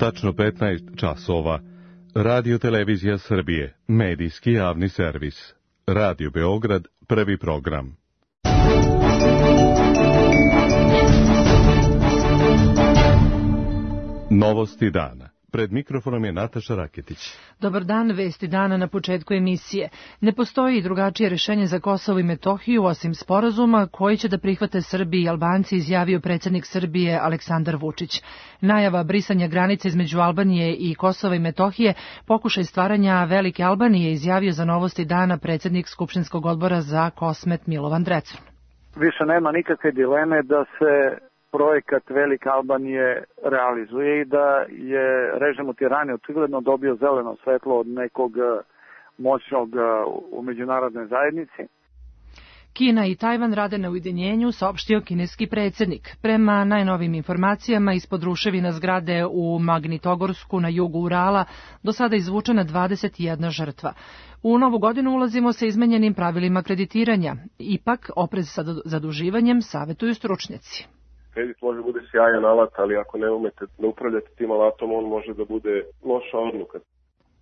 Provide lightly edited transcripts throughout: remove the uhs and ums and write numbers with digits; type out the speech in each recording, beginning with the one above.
Tačno 15 časova. Radio Televizija Srbije, medijski javni servis. Radio Beograd, prvi program. Novosti dana. Pred mikrofonom je Nataša Raketić. Dobar dan, vesti dana na početku emisije. Ne postoji drugačije rešenje za Kosovo i Metohiju osim sporazuma koji će da prihvate Srbi i Albanci, izjavio predsjednik Srbije Aleksandar Vučić. Najava brisanja granice između Albanije i Kosova i Metohije, pokušaj stvaranja Velike Albanije, izjavio za Novosti dana predsjednik Skupštinskog odbora za Kosmet Milovan Drecun. Više nema nikakve dileme da se projekat Velike Albanije realizuje i da je režim u Tirani očigledno dobio zeleno svetlo od nekog moćnog u međunarodnoj zajednici. Kina i Tajvan rade na ujedinjenju, saopštio kineski predsjednik. Prema najnovim informacijama, ispod ruševina zgrade u Magnitogorsku na jugu Urala do sada izvučena 21 žrtva. U novu godinu ulazimo sa izmenjenim pravilima kreditiranja. Ipak, oprez sa zaduživanjem savjetuju stručnjaci. Kredit može bude sjajan alat, ali ako ne umete da upravljate tim alatom, on može da bude loša odluka.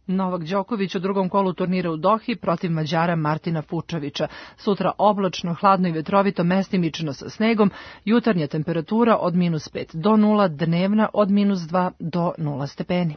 Novak Đoković u drugom kolu turnira u Dohi protiv Mađara Martina Fučovića. Sutra oblačno, hladno i vetrovito, mestimično sa snegom, jutarnja temperatura od -5 do 0, dnevna od -2 do 0 stepeni.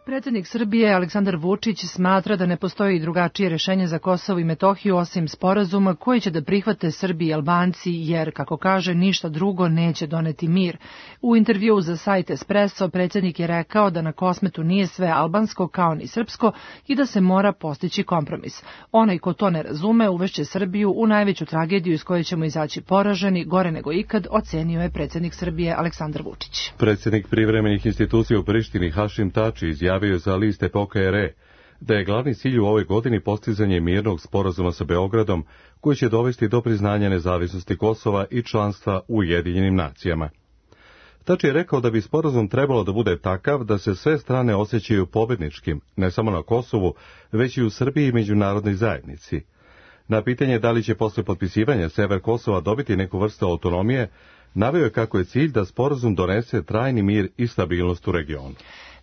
Predsjednik Srbije Aleksandar Vučić smatra da ne postoji drugačije rešenje za Kosovo i Metohiju osim sporazuma koji će da prihvate Srbi i Albanci, jer, kako kaže, ništa drugo neće doneti mir. U intervjuu za sajt Espresso predsjednik je rekao da na Kosmetu nije sve albansko kao ni srpsko i da se mora postići kompromis. Onaj ko to ne razume uvešće Srbiju u najveću tragediju iz koje ćemo izaći poraženi, gore nego ikad, ocenio je predsjednik Srbije Aleksandar Vučić. Predsjednik privremenih institucija u Prištini Hašim Tači izjavio za list Epoka RE da je glavni cilj u ovoj godini postizanje mirnog sporazuma sa Beogradom koji će dovesti do priznanja nezavisnosti Kosova i članstva u Ujedinjenim nacijama. Tači je rekao da bi sporazum trebalo da bude takav da se sve strane osjećaju pobedničkim, ne samo na Kosovu, već i u Srbiji i međunarodnoj zajednici. Na pitanje da li će posle potpisivanja sever Kosova dobiti neku vrstu autonomije, naveo je kako je cilj da sporazum donese trajni mir i stabilnost u regionu.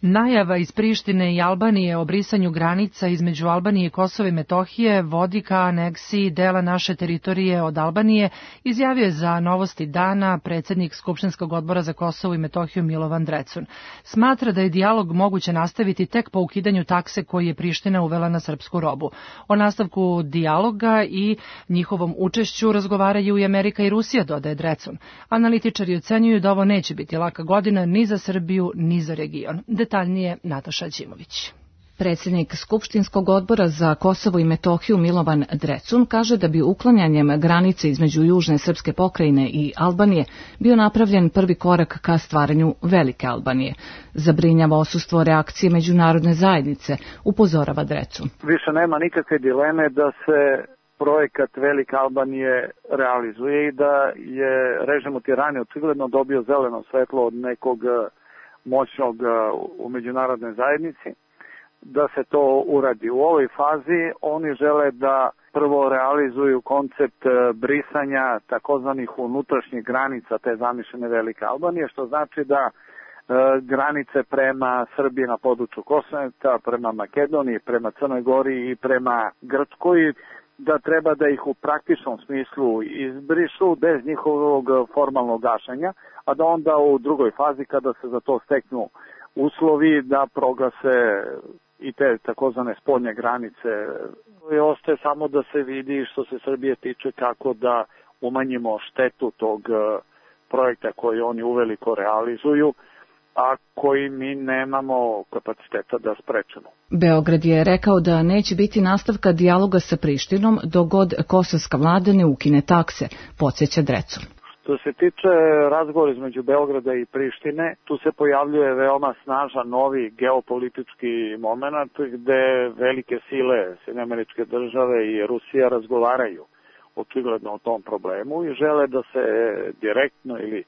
Najava iz Prištine i Albanije o brisanju granica između Albanije i Kosova i Metohije vodi ka aneksiji dela naše teritorije od Albanije, izjavio je za Novosti dana predsjednik Skupštinskog odbora za Kosovo i Metohiju Milovan Drecun. Smatra da je dijalog moguće nastaviti tek po ukidanju takse koji je Priština uvela na srpsku robu. O nastavku dijaloga i njihovom učešću razgovaraju i Amerika i Rusija, dodaje Drecun. Analitičari ocenjuju da ovo neće biti laka godina ni za Srbiju ni za region. Detaljnije Nataša Ćimović. Predsjednik Skupštinskog odbora za Kosovo i Metohiju Milovan Drecun kaže da bi uklanjanjem granice između južne srpske pokrajine i Albanije bio napravljen prvi korak ka stvaranju Velike Albanije. Zabrinjava odsustvo reakcije međunarodne zajednice, upozorava Drecun. Više nema nikakve dileme da se projekat Velike Albanije realizuje i da je režim u Tirani očigledno dobio zeleno svetlo od nekog moćnog u međunarodnoj zajednici, da se to uradi. U ovoj fazi oni žele da prvo realizuju koncept brisanja takozvanih unutrašnjih granica te zamišljene Velike Albanije, što znači da granice prema Srbiji na području Kosmeta, prema Makedoniji, prema Crnoj Gori i prema Grčkoj, da treba da ih u praktičnom smislu izbrišu bez njihovog formalnog gašenja, a da onda u drugoj fazi, kada se za to steknu uslovi, da proglase i te takozvane spoljne granice. Ostaje samo da se vidi što se Srbije tiče kako da umanjimo štetu tog projekta koji oni uveliko realizuju, a koji mi nemamo kapaciteta da sprečemo. Beograd je rekao da neće biti nastavka dijaloga sa Prištinom dok god kosovska vlada ne ukine takse, podsjeća Drecun. Što se tiče razgovora između Beograda i Prištine, tu se pojavljuje veoma snažan novi geopolitički moment gde velike sile Sjedinjene Države i Rusija razgovaraju očigledno o tom problemu i žele da se direktno ili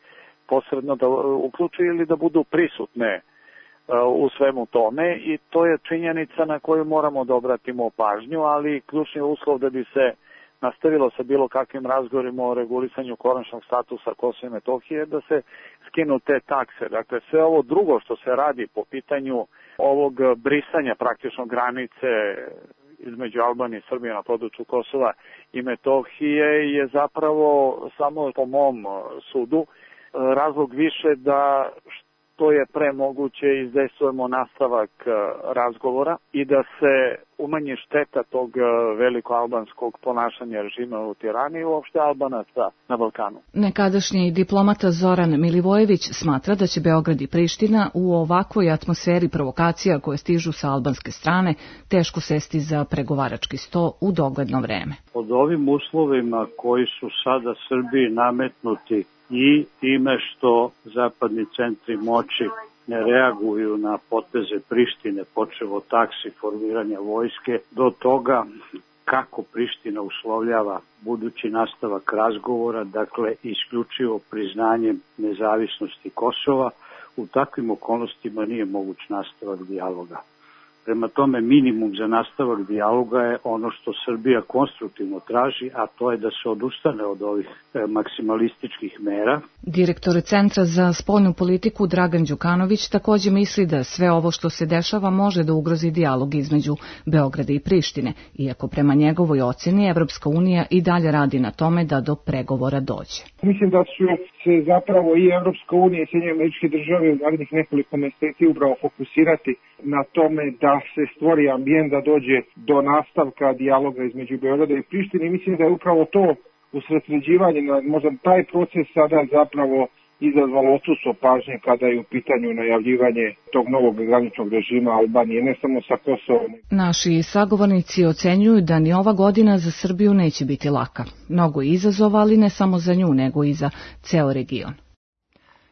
posredno da uključi ili da budu prisutne u svemu tome i to je činjenica na koju moramo da obratimo pažnju, ali ključni uslov da bi se nastavilo sa bilo kakvim razgovorima o regulisanju konačnog statusa Kosova i Metohije, da se skinu te takse. Dakle, sve ovo drugo što se radi po pitanju ovog brisanja praktično granice između Albanije i Srbije na području Kosova i Metohije je zapravo, samo po mom sudu, razlog više da što je pre moguće izdejstvujemo nastavak razgovora i da se umanji šteta tog velikoalbanskog ponašanja režima u Tirani i uopšte Albanaca na Balkanu. Nekadašnji diplomata Zoran Milivojević smatra da će Beograd i Priština u ovakvoj atmosferi provokacija koje stižu sa albanske strane teško sesti za pregovarački sto u dogledno vreme. Pod ovim uslovima koji su sada Srbiji nametnuti i time što zapadni centri moći ne reaguju na poteze Prištine, počev od taksi, formiranja vojske, do toga kako Priština uslovljava budući nastavak razgovora, dakle isključivo priznanjem nezavisnosti Kosova, u takvim okolnostima nije moguć nastavak dijaloga. Prema tome, minimum za nastavak dijaloga je ono što Srbija konstruktivno traži, a to je da se odustane od ovih maksimalističkih mera. Direktor Centra za spoljnu politiku Dragan Đukanović također misli da sve ovo što se dešava može da ugrozi dijalog između Beograda i Prištine, iako prema njegovoj ocjeni Evropska unija i dalje radi na tome da do pregovora dođe. Mislim da su se zapravo i Evropska unija i Sjedinjene Američke Države u narednih nekoliko meseci upravo fokusirati na tome da se stvori ambijent da dođe do nastavka dijaloga između Beograda i Prištine i mislim da je upravo to usredsređivanje, možda taj proces sada zapravo izazvalo odsustvo pažnje kada je u pitanju najavljivanje tog novog graničnog režima Albanije, ne samo sa Kosovom. Naši sagovornici ocenjuju da ni ova godina za Srbiju neće biti laka. Mnogo izazova, ali ne samo za nju, nego i za ceo region.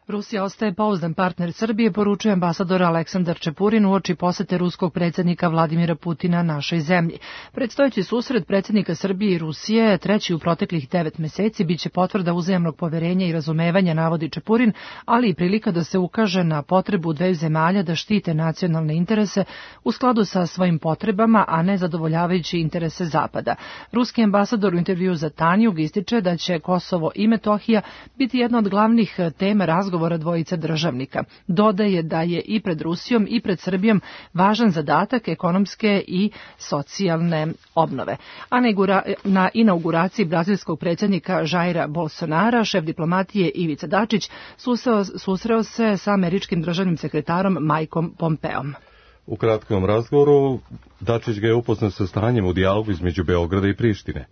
Rusija ostaje pouzdan partner Srbije, poručuje ambasador Aleksandar Čepurin uoči posete ruskog predsjednika Vladimira Putina našoj zemlji. Predstojeći susret predsjednika Srbije i Rusije, treći u proteklih 9 meseci, biće potvrda uzajamnog poverenja i razumevanja, navodi Čepurin, ali i prilika da se ukaže na potrebu dveju zemalja da štite nacionalne interese u skladu sa svojim potrebama, a ne zadovoljavajući interese Zapada. Ruski ambasador u intervju za Tanjug ističe da će Kosovo i Metohija biti jedna od glavnih tema razgovora dvojice državnika. Dodaje da je i pred Rusijom i pred Srbijom važan zadatak ekonomske i socijalne obnove. A na inauguraciji brazilskog predsjednika Jaira Bolsonara, šef diplomatije Ivica Dačić susreo se sa američkim državnim sekretarom Mikeom Pompeom. U kratkom razgovoru Dačić ga je upoznao sa stanjem u dijalogu između Beograda i Prištine.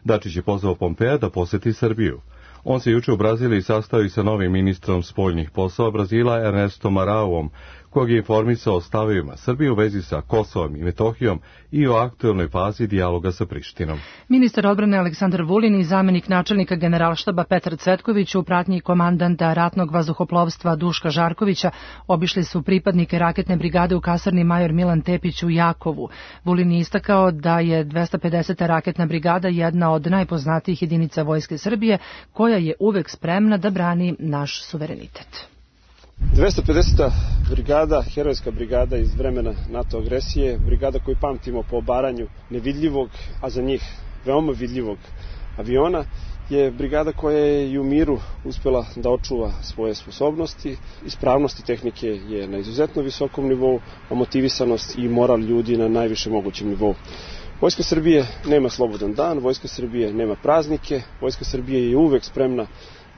Dačić je pozvao Pompea da poseti Srbiju. On se juče u Braziliji sastao sa novim ministrom spoljnih poslova Brazila Ernesto Marauom, kojeg je informisao o stavovima Srbije u vezi sa Kosovom i Metohijom i o aktuelnoj fazi dijaloga sa Prištinom. Ministar odbrane Aleksandar Vulin i zamenik načelnika Generalštaba Petar Cvetković u pratnji komandanta ratnog vazduhoplovstva Duška Žarkovića obišli su pripadnike raketne brigade u kasarni Major Milan Tepić u Jakovu. Vulin je istakao da je 250. raketna brigada jedna od najpoznatijih jedinica Vojske Srbije, koja je uvek spremna da brani naš suverenitet. 250. brigada, herojska brigada iz vremena NATO agresije, brigada koju pamtimo po obaranju nevidljivog, a za njih veoma vidljivog aviona, je brigada koja je i u miru uspjela da očuva svoje sposobnosti. Ispravnosti tehnike je na izuzetno visokom nivou, a motivisanost i moral ljudi na najviše mogućem nivou. Vojska Srbije nema slobodan dan, Vojska Srbije nema praznike, Vojska Srbije je uvek spremna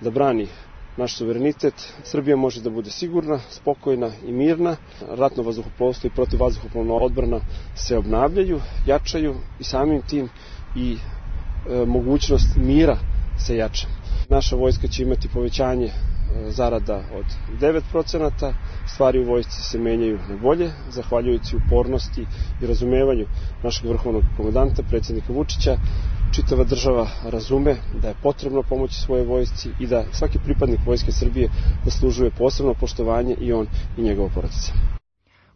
da brani naš suverenitet. Srbija može da bude sigurna, spokojna i mirna. Ratno vazduhoplovstvo i protivvazduhoplovna odbrana se obnavljaju, jačaju i samim tim i mogućnost mira se jača. Naša vojska će imati povećanje zarada od 9%, stvari u vojsci se menjaju na bolje, zahvaljujući upornosti i razumevanju našeg vrhovnog komandanta, predsjednika Vučića. Čitava država razume da je potrebno pomoći svoje vojsci i da svaki pripadnik Vojske Srbije zaslužuje posebno poštovanje, i on i njegova porodica.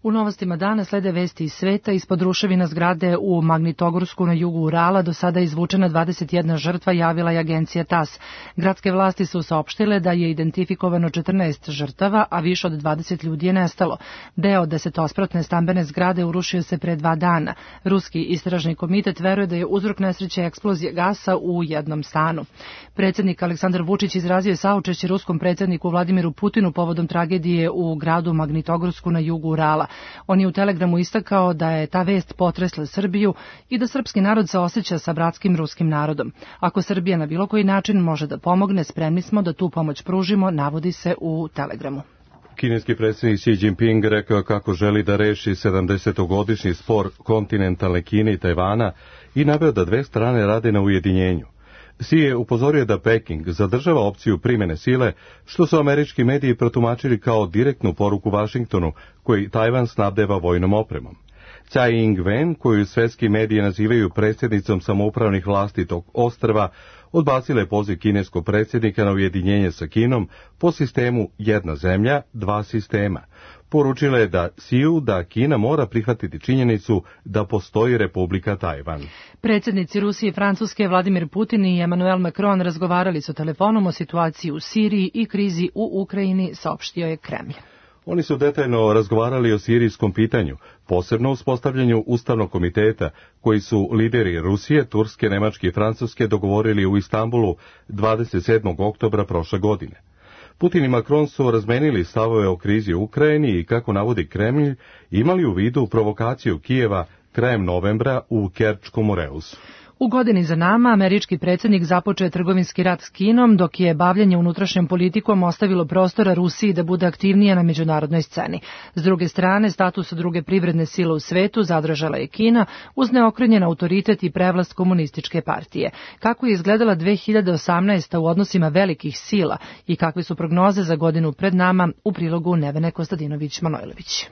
U novostima dana slede vesti iz sveta. Ispod ruševina zgrade u Magnitogorsku na jugu Urala do sada je izvučena 21 žrtva, javila je agencija TASS. Gradske vlasti su saopštile da je identifikovano 14 žrtava, a više od 20 ljudi je nestalo. Deo 10-spratne stambene zgrade urušio se pre 2 dana. Ruski istražni komitet veruje da je uzrok nesreće eksplozije gasa u jednom stanu. Predsjednik Aleksandar Vučić izrazio je saučešće ruskom predsjedniku Vladimiru Putinu povodom tragedije u gradu Magnitogorsku na jugu Urala. On je u telegramu istakao da je ta vest potresla Srbiju i da srpski narod se osjeća sa bratskim ruskim narodom. Ako Srbija na bilo koji način može da pomogne, spremni smo da tu pomoć pružimo, navodi se u telegramu. Kineski predsjednik Xi Jinping rekao kako želi da reši 70-godišnji spor kontinentalne Kine i Tajvana i naveo da dve strane rade na ujedinjenju. Xi je upozorio da Peking zadržava opciju primjene sile, što su američki mediji protumačili kao direktnu poruku Vašingtonu, koji Tajvan snabdeva vojnom opremom. Tsai Ing-wen, koju svetski mediji nazivaju predsjednicom samoupravnih vlasti tog ostrva, odbacila je poziv kineskog predsjednika na ujedinjenje sa Kinom po sistemu jedna zemlja, dva sistema. Poručila je da Xiu da Kina mora prihvatiti činjenicu da postoji Republika Tajvan. Predsjednici Rusije i Francuske Vladimir Putin i Emmanuel Macron razgovarali su telefonom o situaciji u Siriji i krizi u Ukrajini, saopštio je Kremlj. Oni su detaljno razgovarali o sirijskom pitanju, posebno uspostavljanju Ustavnog komiteta, koji su lideri Rusije, Turske, Nemačke i Francuske dogovorili u Istanbulu 27. oktobra prošle godine. Putin i Macron su razmenili stavove o krizi u Ukrajini i, kako navodi Kremlj, imali u vidu provokaciju Kijeva krajem novembra u Kerčkom moreusu. U godini za nama američki predsjednik započeo je trgovinski rat s Kinom, dok je bavljanje unutrašnjom politikom ostavilo prostora Rusiji da bude aktivnija na međunarodnoj sceni. S druge strane, status druge privredne sile u svetu zadržala je Kina uz neokrnjen autoritet i prevlast komunističke partije. Kako je izgledala 2018. u odnosima velikih sila i kakve su prognoze za godinu pred nama, u prilogu Nevene Kostadinović-Manojlović.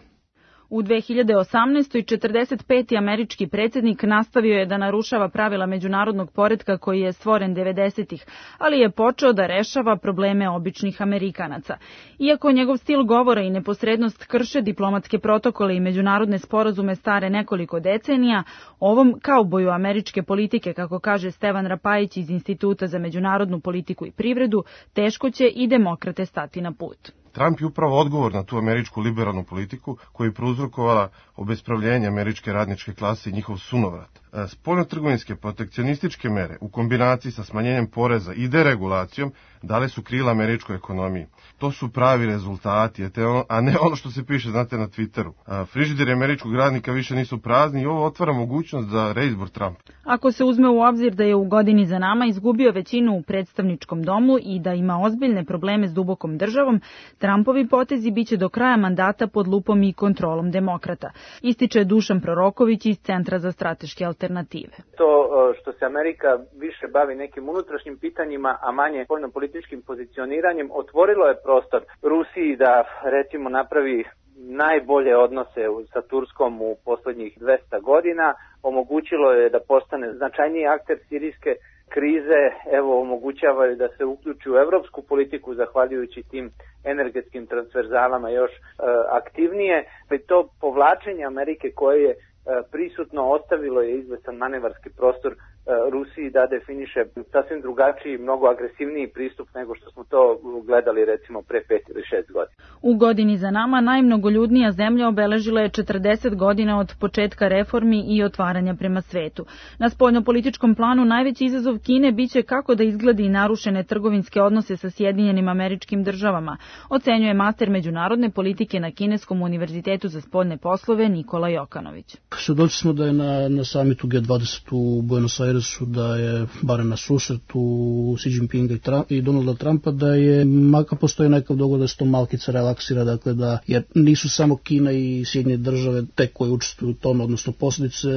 U 2018. 45. američki predsjednik nastavio je da narušava pravila međunarodnog poretka koji je stvoren 90-ih, ali je počeo da rešava probleme običnih Amerikanaca. Iako njegov stil govora i neposrednost krše diplomatske protokole i međunarodne sporazume stare nekoliko decenija, ovom kauboju američke politike, kako kaže Stevan Rapajić iz Instituta za međunarodnu politiku i privredu, teško će i demokrate stati na put. Trump je upravo odgovor na tu američku liberalnu politiku koju je prouzrokovala obespravljenje američke radničke klase i njihov sunovrat. Spoljnotrgovinske protekcionističke mere u kombinaciji sa smanjenjem poreza i deregulacijom dale su krila američkoj ekonomiji. To su pravi rezultati, a ne ono što se piše, znate, na Twitteru. Frižideri američkog radnika više nisu prazni i ovo otvara mogućnost za reizbor Trumpa. Ako se uzme u obzir da je u godini za nama izgubio većinu u predstavničkom domu i da ima ozbiljne probleme s dubokom državom, Trumpovi potezi biće do kraja mandata pod lupom i kontrolom demokrata, ističe Dušan Proroković iz Centra za strateške alternative. To što se Amerika više bavi nekim unutrašnjim pitanjima, a manje spoljnopolitičkim pozicioniranjem, otvorilo je prostor Rusiji da, recimo, napravi najbolje odnose sa Turskom u poslednjih 200 godina, omogućilo je da postane značajniji akter sirijske krize, evo omogućava je da se uključi u evropsku politiku zahvaljujući tim energetskim transverzalama još aktivnije. To povlačenje Amerike koje je prisutno ostavilo je izvestan manevarski prostor Rusiji da definiše sasvim drugačiji, mnogo agresivniji pristup nego što smo to gledali recimo pre 5 ili 6 godina. U godini za nama najmnogoljudnija zemlja obeležila je 40 godina od početka reformi i otvaranja prema svetu. Na spoljnopolitičkom planu najveći izazov Kine biće kako da izgledi narušene trgovinske odnose sa Sjedinjenim Američkim Državama, ocenjuje master međunarodne politike na Kineskom univerzitetu za spoljne poslove Nikola Jokanović. Svedoci smo da je na samitu G20 u Buenos Airesu, da je, barem na susretu Xi Jinpinga i Donalda Trumpa, da je, makar postoji nekav dogovor da se to malkice relaksira, dakle da, jer nisu samo Kina i Sjedinjene Države te koje učestvuju u tome, odnosno posljedice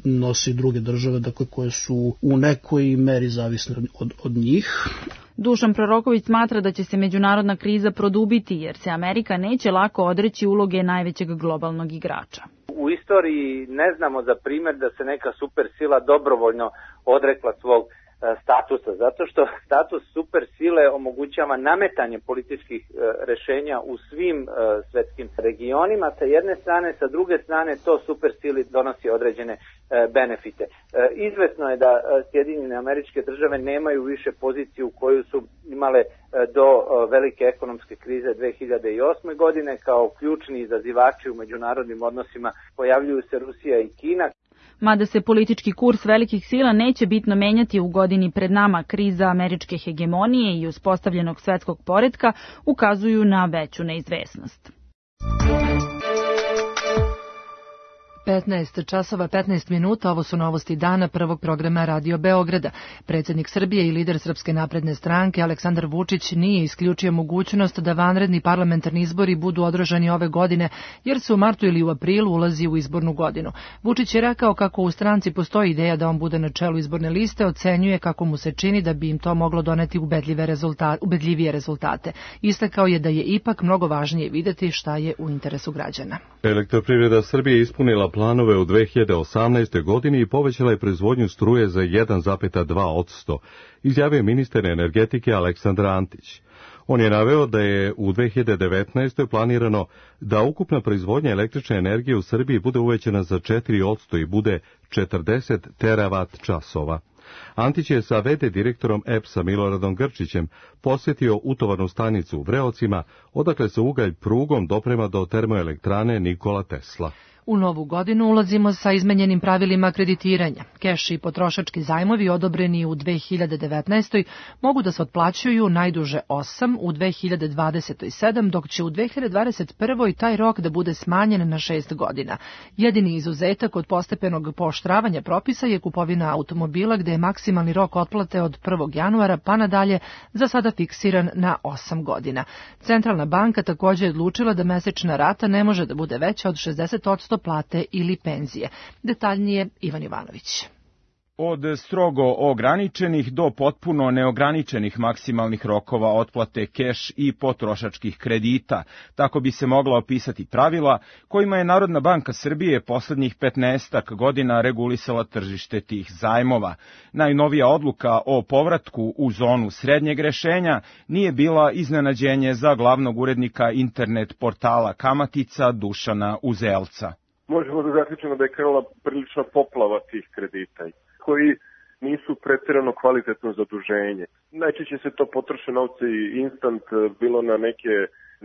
nosi druge države, dakle koje su u nekoj meri zavisne od njih. Dušan Proroković smatra da će se međunarodna kriza produbiti jer se Amerika neće lako odreći uloge najvećeg globalnog igrača. U istoriji ne znamo za primjer da se neka supersila dobrovoljno odrekla svog statusa, zato što status supersile omogućava nametanje političkih rešenja u svim svetskim regionima sa jedne strane, sa druge strane to supersili donosi određene benefite. Izvesno je da Sjedinjene Američke Države nemaju više poziciju koju su imale do velike ekonomske krize 2008. godine. Kao ključni izazivači u međunarodnim odnosima pojavljuju se Rusija i Kina. Mada se politički kurs velikih sila neće bitno menjati u godini pred nama, kriza američke hegemonije i uspostavljenog svetskog poretka ukazuju na veću neizvesnost. 15 časova 15 minuta, ovo su novosti dana prvog programa Radio Beograda. Predsjednik Srbije i lider Srpske napredne stranke Aleksandar Vučić nije isključio mogućnost da vanredni parlamentarni izbori budu održani ove godine, jer se u martu ili u aprilu ulazi u izbornu godinu. Vučić je rekao kako u stranci postoji ideja da on bude na čelu izborne liste, ocenjuje kako mu se čini da bi im to moglo doneti ubedljivije rezultate. Istakao je da je ipak mnogo važnije videti šta je u interesu građana. Elektroprivreda Srbije ispunila planove u 2018. godini i povećala je proizvodnju struje za 1,2%, izjavio je ministar energetike Aleksandar Antić. On je naveo da je u 2019. planirano da ukupna proizvodnja električne energije u Srbiji bude uvećana za 4% i bude 40 teravat časova. Antić je sa v.d. direktorom EPS-a Miloradom Grčićem posjetio utovarnu stanicu u Vreocima, odakle se ugalj prugom doprema do termoelektrane Nikola Tesla. U novu godinu ulazimo sa izmenjenim pravilima kreditiranja. Keš i potrošački zajmovi odobreni u 2019. mogu da se otplaćuju najduže 8, u 2020. 7, dok će u 2021. taj rok da bude smanjen na 6 godina. Jedini izuzetak od postepenog pooštravanja propisa je kupovina automobila gde je maksimalni rok otplate od 1. januara pa nadalje za sada fiksiran na 8 godina. Centralna banka također je odlučila da mesečna rata ne može da bude veća od 60% plate ili penzije. Detaljnije Ivan Ivanović. Od strogo ograničenih do potpuno neograničenih maksimalnih rokova otplate keš i potrošačkih kredita. Tako bi se mogla opisati pravila kojima je Narodna banka Srbije poslednjih 15 godina regulisala tržište tih zajmova. Najnovija odluka o povratku u zonu srednjeg rešenja nije bila iznenađenje za glavnog urednika internet portala Kamatica Dušana Uzelca. Možemo da zaključimo da je krenula prilična poplava tih kredita koji nisu pretjerano kvalitetno zaduženje. Najčešće se to potroše novce instant, bilo na neke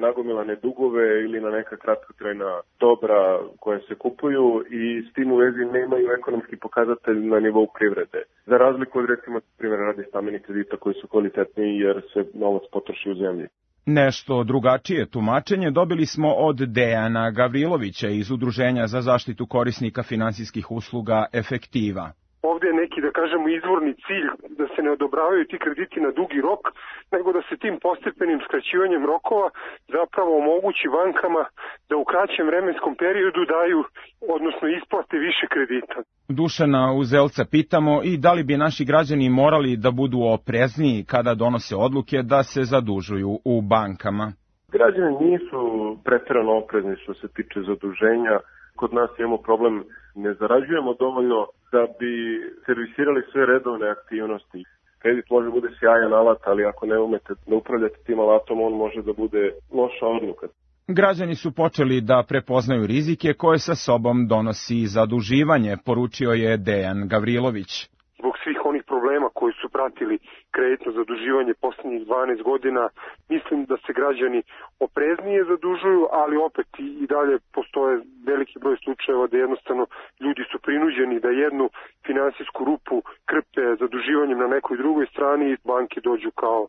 nagomilane dugove ili na neka kratkotrajna dobra koje se kupuju i s tim u vezi nemaju ekonomski pokazatelj na nivou privrede. Za razliku od recimo primjer radi stambenih kredita koji su kvalitetniji jer se novac potroši u zemlji. Nešto drugačije tumačenje dobili smo od Dejana Gavrilovića iz Udruženja za zaštitu korisnika finansijskih usluga Efektiva. Ovdje je neki, da kažemo, izvorni cilj da se ne odobravaju ti krediti na dugi rok, nego da se tim postepenim skraćivanjem rokova zapravo omogući bankama da u kraćem vremenskom periodu daju, odnosno isplate više kredita. Dušana Uzelca pitamo i da li bi naši građani morali da budu oprezniji kada donose odluke da se zadužuju u bankama. Građani nisu pretjerano oprezni što se tiče zaduženja. Kod nas imamo problem, ne zarađujemo dovoljno da bi servisirali sve redovne aktivnosti. Kredit može bude sjajan alat, ali ako ne umete da upravljate tim alatom, on može da bude loša odluka. Građani su počeli da prepoznaju rizike koje sa sobom donosi zaduživanje, poručio je Dejan Gavrilović. Zbog svih onih problema koji su pratili kreditno zaduživanje posljednjih 12 godina, mislim da se građani opreznije zadužuju, ali opet i dalje postoje veliki broj slučajeva da jednostavno ljudi su prinuđeni da jednu finansijsku rupu krpe zaduživanjem na nekoj drugoj strani i banke dođu kao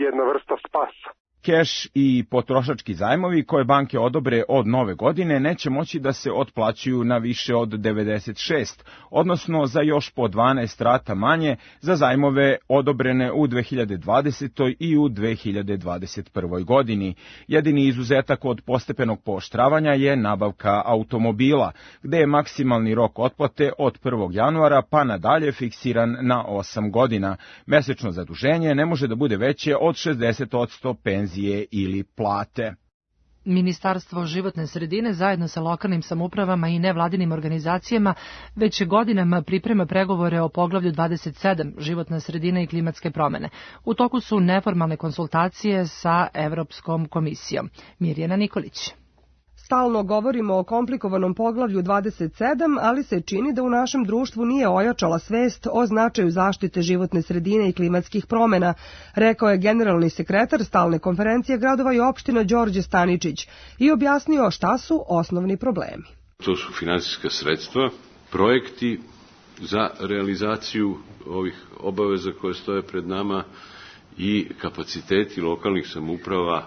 jedna vrsta spasa. Keš i potrošački zajmovi koje banke odobre od nove godine neće moći da se otplaćuju na više od 96, odnosno za još po 12 rata manje za zajmove odobrene u 2020. i u 2021. godini. Jedini izuzetak od postepenog pooštravanja je nabavka automobila, gde je maksimalni rok otplate od 1. januara pa nadalje fiksiran na 8 godina. Mesečno zaduženje ne može da bude veće od 60% penzije ili plate. Ministarstvo životne sredine zajedno sa lokalnim samoupravama i nevladinim organizacijama već godinama priprema pregovore o poglavlju 27 životna sredina i klimatske promene. U toku su neformalne konsultacije sa Evropskom komisijom. Mirjana Nikolić. Stalno govorimo o komplikovanom poglavlju 27, ali se čini da u našem društvu nije ojačala svest o značaju zaštite životne sredine i klimatskih promena, rekao je generalni sekretar Stalne konferencije gradova i opština Đorđe Staničić i objasnio šta su osnovni problemi. To su finansijska sredstva, projekti za realizaciju ovih obaveza koje stoje pred nama i kapaciteti lokalnih samouprava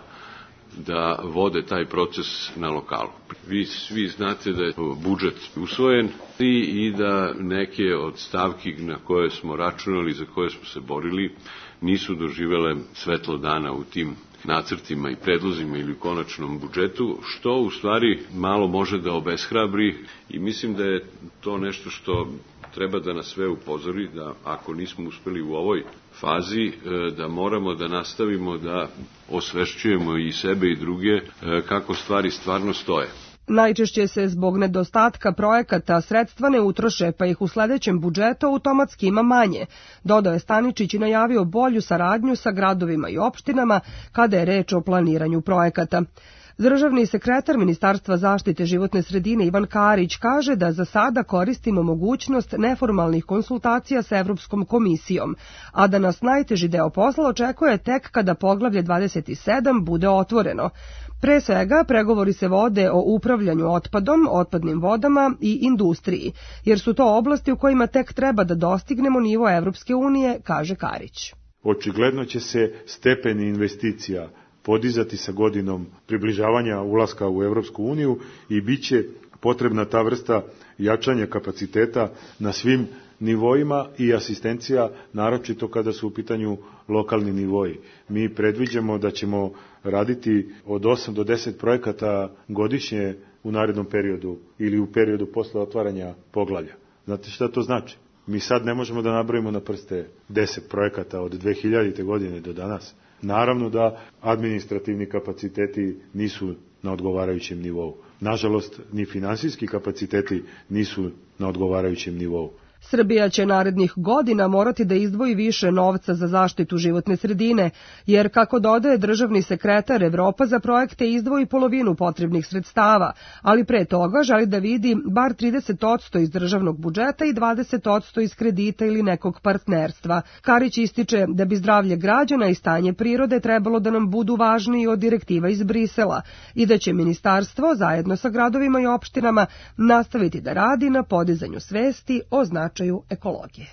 da vode taj proces na lokalu. Vi svi znate da je budžet usvojen i da neke od stavki na koje smo računali, za koje smo se borili, nisu doživele svetlo dana u tim nacrtima i predlozima ili u konačnom budžetu, što u stvari malo može da obeshrabri i mislim da je to nešto što treba da nas sve upozori, da ako nismo uspeli u ovoj fazi, da moramo da nastavimo da osvešćujemo i sebe i druge kako stvari stvarno stoje. Najčešće se zbog nedostatka projekata sredstva ne utroše, pa ih u sledećem budžetu automatski ima manje. Dodao je Staničić i najavio bolju saradnju sa gradovima i opštinama kada je reč o planiranju projekata. Državni sekretar Ministarstva zaštite životne sredine Ivan Karić kaže da za sada koristimo mogućnost neformalnih konsultacija sa Evropskom komisijom, a da nas najteži deo posla očekuje tek kada poglavlje 27 bude otvoreno. Pre svega, pregovori se vode o upravljanju otpadom, otpadnim vodama i industriji, jer su to oblasti u kojima tek treba da dostignemo nivo Evropske unije, kaže Karić. Očigledno će se stepeni investicija podizati sa godinom približavanja ulaska u Evropsku uniju i bit će potrebna ta vrsta jačanja kapaciteta na svim nivoima i asistencija, naročito kada su u pitanju lokalni nivoji. Mi predviđamo da ćemo raditi od 8 do 10 projekata godišnje u narednom periodu ili u periodu posle otvaranja poglavlja. Znate šta to znači? Mi sad ne možemo da nabrojimo na prste 10 projekata od 2000. godine do danas. Naravno da administrativni kapaciteti nisu na odgovarajućem nivou. Nažalost, ni finansijski kapaciteti nisu na odgovarajućem nivou. Srbija će narednih godina morati da izdvoji više novca za zaštitu životne sredine, jer, kako dodaje državni sekretar, Evropa za projekte izdvoji polovinu potrebnih sredstava, ali pre toga želi da vidi bar 30% iz državnog budžeta i 20% iz kredita ili nekog partnerstva. Karić ističe da bi zdravlje građana i stanje prirode trebalo da nam budu važniji od direktiva iz Brisela i da će ministarstvo, zajedno sa gradovima i opštinama, nastaviti da radi na podizanju svesti o značaju ekologije.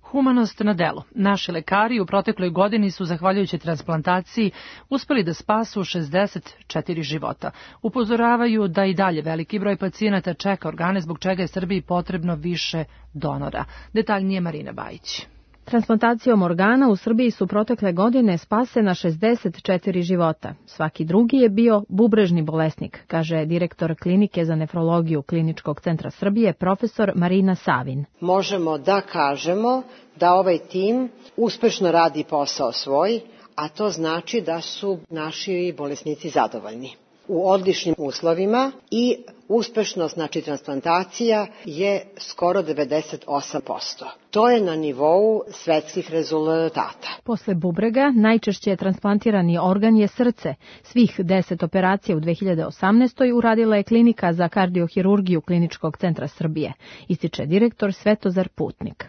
Humanost na delu. Naši lekari u protekloj godini su, zahvaljujući transplantaciji, uspeli da spasu 64 života. Upozoravaju da i dalje veliki broj pacijenata čeka organe, zbog čega je Srbiji potrebno više donora. Detaljnije Marina Bajić. Transplantacijom organa u Srbiji su protekle godine spasena 64 života. Svaki drugi je bio bubrežni bolesnik, kaže direktor klinike za nefrologiju Kliničkog centra Srbije, profesor Marina Savin. Možemo da kažemo da ovaj tim uspešno radi posao svoj, a to znači da su naši bolesnici zadovoljni. U odličnim uslovima i uspešnost, znači transplantacija, je skoro 98%. To je na nivou svetskih rezultata. Posle bubrega najčešće transplantirani organ je srce. Svih 10 operacija u 2018. uradila je klinika za kardiohirurgiju Kliničkog centra Srbije, ističe direktor Svetozar Putnik.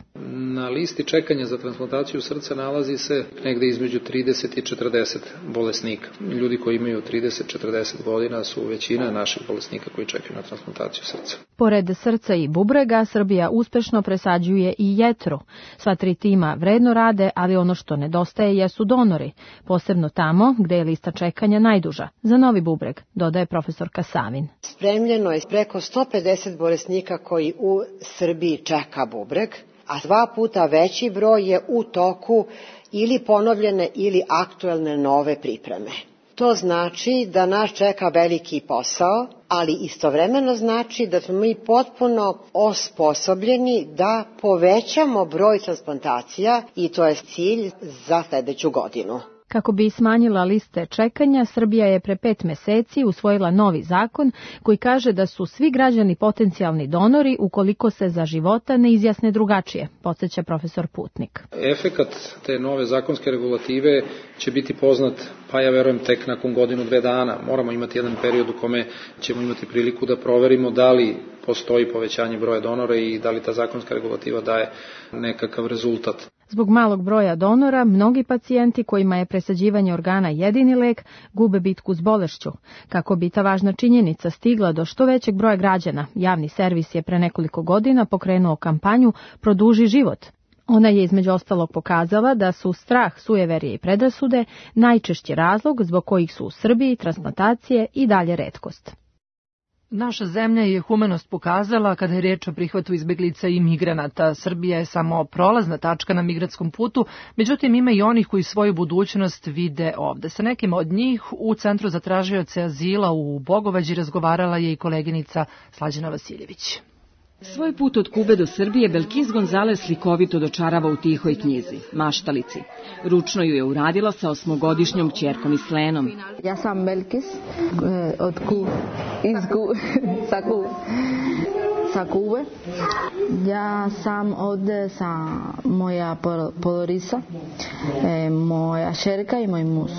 Na listi čekanja za transplantaciju srca nalazi se negde između 30 i 40 bolesnika. Ljudi koji imaju 30-40 godina su većina naših bolesnika koji čekaju na transplantaciju srca. Pored srca i bubrega, Srbija uspešno presađuje i jetru. Sva tri tima vredno rade, ali ono što nedostaje jesu donori, posebno tamo gde je lista čekanja najduža, za novi bubreg, dodaje profesorka Savin. Spremljeno je preko 150 bolesnika koji u Srbiji čeka bubreg, a 2 puta veći broj je u toku ili ponovljene ili aktuelne nove pripreme. To znači da nas čeka veliki posao, ali istovremeno znači da smo mi potpuno osposobljeni da povećamo broj transplantacija i to je cilj za sledeću godinu. Kako bi smanjila liste čekanja, Srbija je pre 5 meseci usvojila novi zakon koji kaže da su svi građani potencijalni donori ukoliko se za života ne izjasne drugačije, podsjeća profesor Putnik. Efekat te nove zakonske regulative će biti poznat, pa ja verujem tek nakon 1-2 dana. Moramo imati jedan period u kome ćemo imati priliku da proverimo da li postoji povećanje broja donora i da li ta zakonska regulativa daje nekakav rezultat. Zbog malog broja donora, mnogi pacijenti kojima je presađivanje organa jedini lek gube bitku s bolešću. Kako bi ta važna činjenica stigla do što većeg broja građana, javni servis je pre nekoliko godina pokrenuo kampanju Produži život. Ona je između ostalog pokazala da su strah, sujeverje i predrasude najčešći razlog zbog kojih su u Srbiji transplantacije i dalje retkost. Naša zemlja je humanost pokazala kada je reč o prihvatu izbeglica i migranata. Srbija je samo prolazna tačka na migratskom putu, međutim ima i onih koji svoju budućnost vide ovde. Sa nekim od njih u Centru za tražioce azila u Bogovađi razgovarala je i koleginica Slađana Vasiljević. Svoj put od Kube do Srbije Belkis Gonzales slikovito dočarava u tihoj knjizi, Maštalici. Ručno ju je uradila sa 8-godišnjom ćerkom i Slenom. Ja sam Belkis od sa Kube. Ja sam ovde sa moja porodica, moja ćerka i moj muž.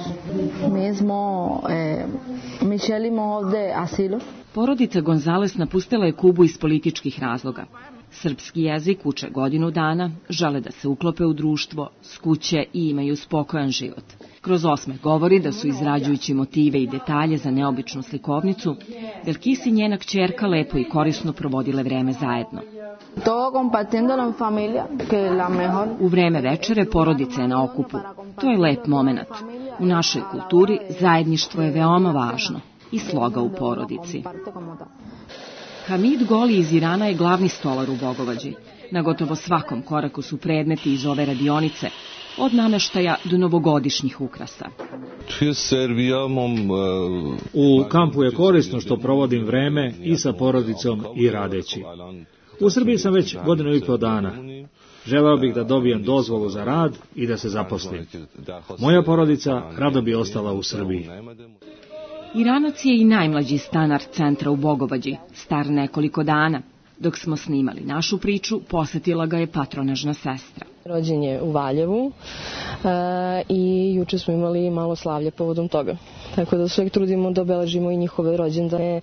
Mi želimo ovde asilo. Porodica Gonzales napustila je Kubu iz političkih razloga. Srpski jezik uče 1 dana, žele da se uklope u društvo, skuće i imaju spokojan život. Kroz osmeh govori da su izrađujući motive i detalje za neobičnu slikovnicu, Belkis i njena kćerka lepo i korisno provodile vreme zajedno. U vreme večere porodica je na okupu. To je lep moment. U našoj kulturi zajedništvo je veoma važno i sloga u porodici. Hamid Goli iz Irana je glavni stolar u Bogovađi. Na gotovo svakom koraku su predmeti iz ove radionice, od nameštaja do novogodišnjih ukrasa. U kampu je korisno što provodim vreme i sa porodicom i radeći. U Srbiji sam već 1,5 dana. Želeo bih da dobijem dozvolu za rad i da se zaposlim. Moja porodica rado bi ostala u Srbiji. Iranac je i najmlađi stanar centra u Bogovađi, star nekoliko dana. Dok smo snimali našu priču, posetila ga je patronažna sestra. Rođen je u Valjevu i juče smo imali malo slavlje povodom toga. Tako da se uvijek trudimo da obeležimo i njihove rođendane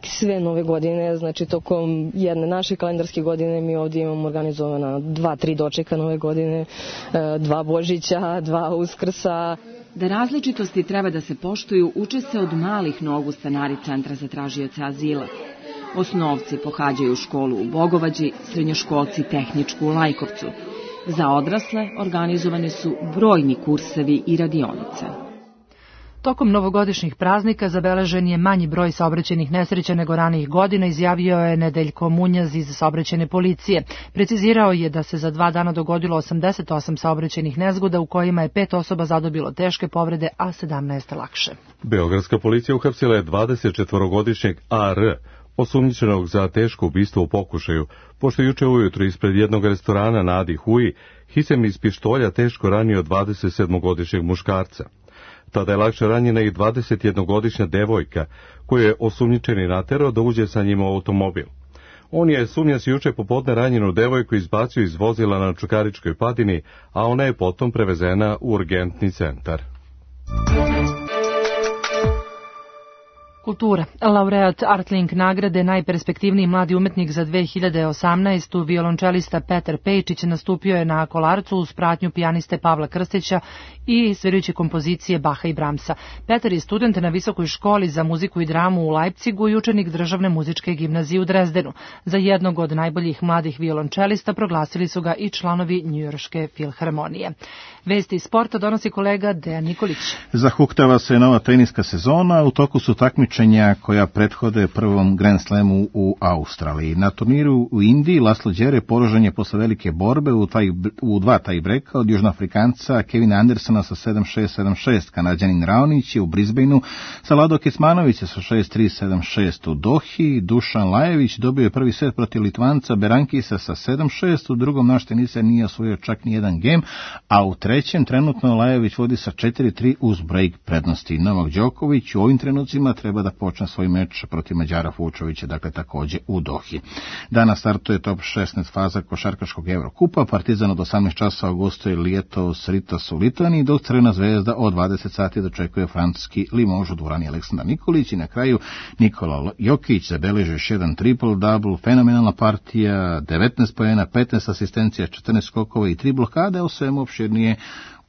sve nove godine, znači tokom jedne naše kalendarske godine mi ovdje imamo organizovana 2-3 dočeka nove godine, 2 Božića, 2 Uskrsa. Da različitosti treba da se poštuju, uče se od malih nogu stanari Centra za tražioce azila. Osnovci pohađaju školu u Bogovađi, srednjoškolci tehničku u Lajkovcu. Za odrasle organizovani su brojni kursevi i radionice. Tokom novogodišnjih praznika zabeležen je manji broj saobraćajnih nesreća nego ranijih godina, izjavio je Nedeljko Munjaz iz saobraćajne policije. Precizirao je da se za 2 dana dogodilo 88 saobraćajnih nezgoda u kojima je 5 osoba zadobilo teške povrede, a 17 lakše. Beogradska policija uhapsila je 24-godišnjeg AR, osumnjičenog za teško ubistvo u pokušaju, pošto juče ujutro ispred jednog restorana na Adi Huji Hisem iz pištolja teško ranio 27-godišnjeg muškarca. Tada je lakše ranjena i 21-godišnja devojka, koju je osumnjičeni naterao da uđe sa njim u automobil. On je sumnjac juče popodne ranjenu devojku izbacio iz vozila na Čukaričkoj padini, a ona je potom prevezena u urgentni centar. Kultura. Laureat Artlink nagrade najperspektivniji mladi umetnik za 2018. violončelista Petar Pejčić nastupio je na Kolarcu uz pratnju pijaniste Pavla Krstića i svirajući kompozicije Baha i Bramsa. Petar je student na Visokoj školi za muziku i dramu u Lajpcigu i učenik Državne muzičke gimnazije u Drezdenu. Za jednog od najboljih mladih violončelista proglasili su ga i članovi Njujorške filharmonije. Vesti iz sporta donosi kolega Dejan Nikolić. Zahuktava se nova teniska sezona, u toku su takmičenja takmičenja koja prethode prvom Grand Slamu u Australiji. Na turniru u Indiji Laslo Đere poražen je posle velike borbe u dva tie-breaka od Južnoafrikanca Kevina Andersona sa 7-6, 7-6. Kanađanin Raonić je u Brisbaneu sa Lado Kecmanovića sa 6-3, 7-6. U Dohi Dušan Lajević dobio je prvi set protiv Litvanca Berankisa sa 7-6. U drugom naš teniser nije osvojio čak ni jedan gem, a u trećem trenutno Lajević vodi sa 4-3 uz break prednosti. Novak Đoković u ovim trenucima treba da počne svoj meč protiv Mađara Fučovića, dakle takođe u Dohi. Danas startuje top 16 faza košarkaškog Evrokupa. Partizan od 18 časova gostuje Lietuvos Rytas u Litvaniji, dok Crvena zvezda od 20 sati dočekuje francuski Limož u dvorani Aleksandar Nikolić i na kraju Nikola Jokić zabeleži još jedan triple-double, fenomenalna partija, 19 poena, 15 asistencija, 14 skokova i 3 blokade, o svemu opširnije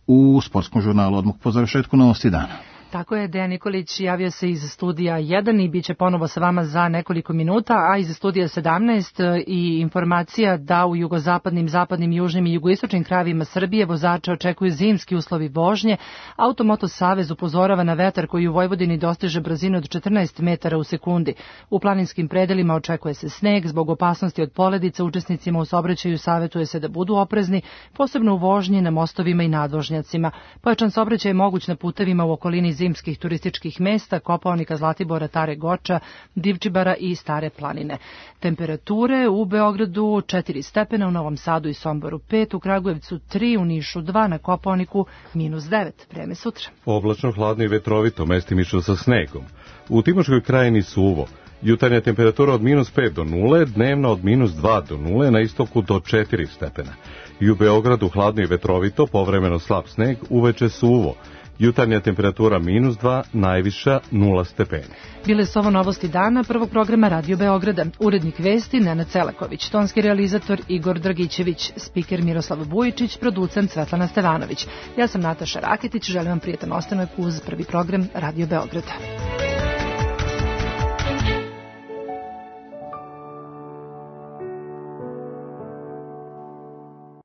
u sportskom žurnalu odmah po završetku novosti dana. Tako je, Dejan Nikolić javio se iz studija 1 i bit će ponovo sa vama za nekoliko minuta, a iz studija 17 i informacija da u jugozapadnim, zapadnim, južnim i jugoistočnim krajevima Srbije vozače očekuju zimski uslovi vožnje. Automoto Savez upozorava na vetar koji u Vojvodini dostiže brzinu od 14 metara u sekundi. U planinskim predelima očekuje se sneg. Zbog opasnosti od poledica učesnicima u saobraćaju savjetuje se da budu oprezni, posebno u vožnji na mostovima i nadvožnjacima. Pojačan saobraćaj je moguć na putevima u okolini zimskih turističkih mesta, Kopaonika, Zlatibora, Tare Goča, Divčibara i Stare planine. Temperature u Beogradu 4 stepena, u Novom Sadu i Somboru 5, u Kragujevcu 3, u Nišu 2, na Kopaoniku -9. Vreme sutra. Oblačno, hladno i vetrovito, mestimično sa snegom. U Timočkoj krajini suvo. Jutarnja temperatura od -5 do 0, dnevna od -2 do 0, na istoku do 4 stepena. I u Beogradu hladno i vetrovito, povremeno slab sneg, uveče suvo. Jutarnja temperatura -2, najviša 0 stepeni. Bile su ovo novosti dana prvog programa Radio Beograda. Urednik vesti Nenad Celaković, tonski realizator Igor Dragićević, spiker Miroslav Bujičić, producent Svetlana Stevanović. Ja sam Nataša Raketić, želim vam prijetan ostanak uz prvi program Radio Beograda.